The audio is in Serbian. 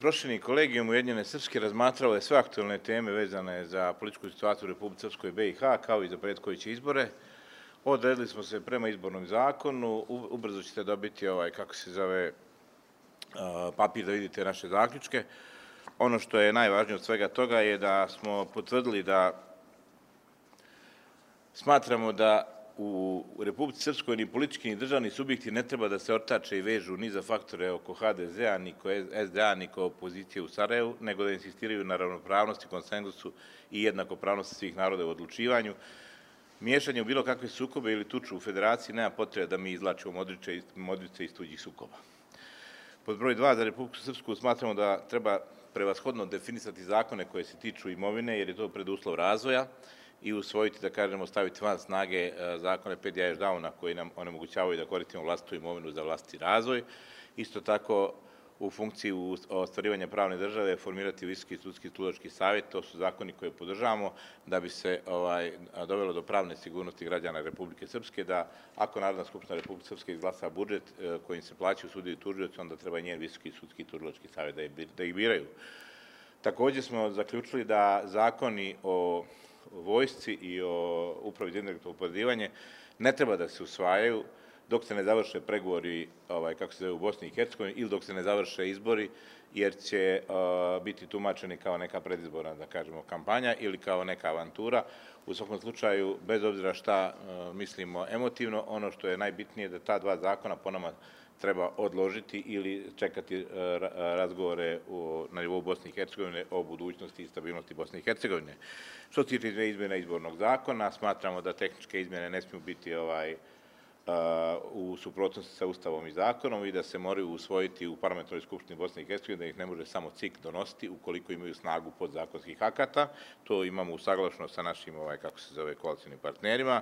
Prošljeni kolegijum Ujedinjene Srpske razmatrao je sve aktuelne teme vezane za političku situaciju u Republici Srpskoj i BiH, kao i za prethodne izbore. Odredili smo se prema izbornom zakonu, ubrzo ćete dobiti papir da vidite naše zaključke. Ono što je najvažnije od svega toga je da smo potvrdili da smatramo da u Republici Srpskoj ni politički ni državni subjekti ne treba da se ortače i vežu ni za faktore oko HDZ-a, ni oko SDA, ni oko opozicije u Sarajevu, nego da insistiraju na ravnopravnosti, konsenzusu i jednakopravnosti svih naroda u odlučivanju. Miješanje u bilo kakve sukobe ili tuču u federaciji nema potrebe da mi izvlačimo modrice iz tuđih sukoba. Pod broj 2, za Republiku Srpsku smatramo da treba prevashodno definisati zakone koje se tiču imovine, jer je to preduslov razvoja, i usvojiti, da kažemo, staviti van snage zakone Pedijaš Dauna koji nam onemogućavaju da koristimo vlastitu imovinu za vlastiti razvoj. Isto tako, u funkciji ostvarivanja pravne države, formirati Visoki sudski tužilački savjet, to su zakoni koje podržavamo da bi se dovelo do pravne sigurnosti građana Republike Srpske, da ako Narodna skupština Republike Srpske izglasa budžet kojim se plaćaju sudije i tužioci, onda treba i njen Visoki sudski tužilački savjet da ih biraju. Takođe smo zaključili da zakoni o vojsci i o upravi za indirektno oporezivanje ne treba da se usvajaju dok se ne završe pregovori, u Bosni i Hercegovini, ili dok se ne završe izbori, jer će biti tumačeni kao neka predizborna, da kažemo, kampanja ili kao neka avantura. U svakom slučaju, bez obzira šta mislimo emotivno, ono što je najbitnije je da ta dva zakona po nama treba odložiti ili čekati razgovore na nivou Bosne i Hercegovine o budućnosti i stabilnosti Bosne i Hercegovine. Što se tiče izmjena izbornog zakona, smatramo da tehničke izmjene ne smiju biti u suprotnosti sa Ustavom i zakonom i da se moraju usvojiti u Parlamentarnoj skupštini Bosne i Hercegovine, da ih ne može samo CIK donositi ukoliko imaju snagu podzakonskih akata. To imamo usaglašeno sa našim, koalicionim partnerima.